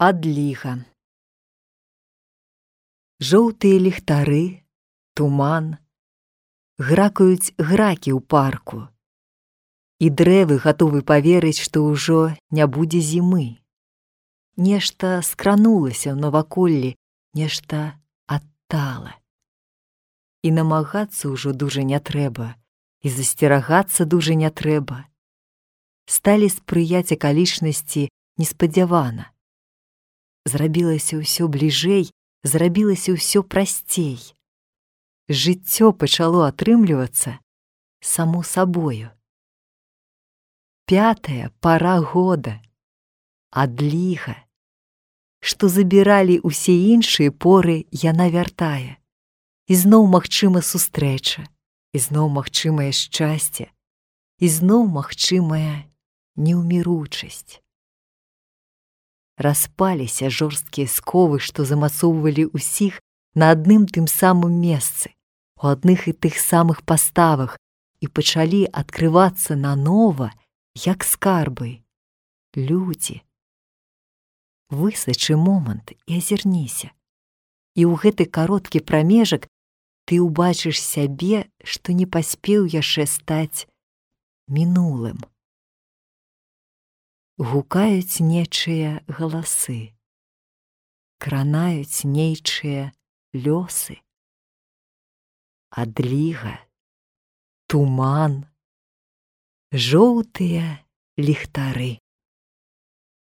Адліга. Жоўтыя ліхтары, туман, гракаюць гракі ў парку, і дрэвы гатовы паверыць, што ўжо не будзе зімы. Нешта скранулася ў наваколлі, нешта адтала. І намагацца ўжо дужа не трэба, і засцерагацца дужа не трэба. Сталі спрыяць акалічнасці неспадзявана. Зрабілася ўсё бліжэй, зрабілася ўсё прасцей. Жыццё пачало атрымлівацца само сабою. 5-я пара года. Адліга. Што забіралі ўсе іншыя поры, яна вяртае. Ізноў магчыма сустрэча, ізноў магчымае шчасце, ізноў магчымая неўміручасць. Распаліся жорсткія сковы, што замацоўвалі ўсіх на адным тым самым месцы, у адных і тых самых паставах, і пачалі адкрывацца нанова, як скарбы. Людзі. Высачы момант і азірніся. І ў гэты кароткі прамежак ты ўбачыш сябе, што не паспеў яшчэ стаць мінулым. Гукаюць нечыя галасы, кранаюць нейчыя лёсы. Адліга, туман, жоўтыя ліхтары.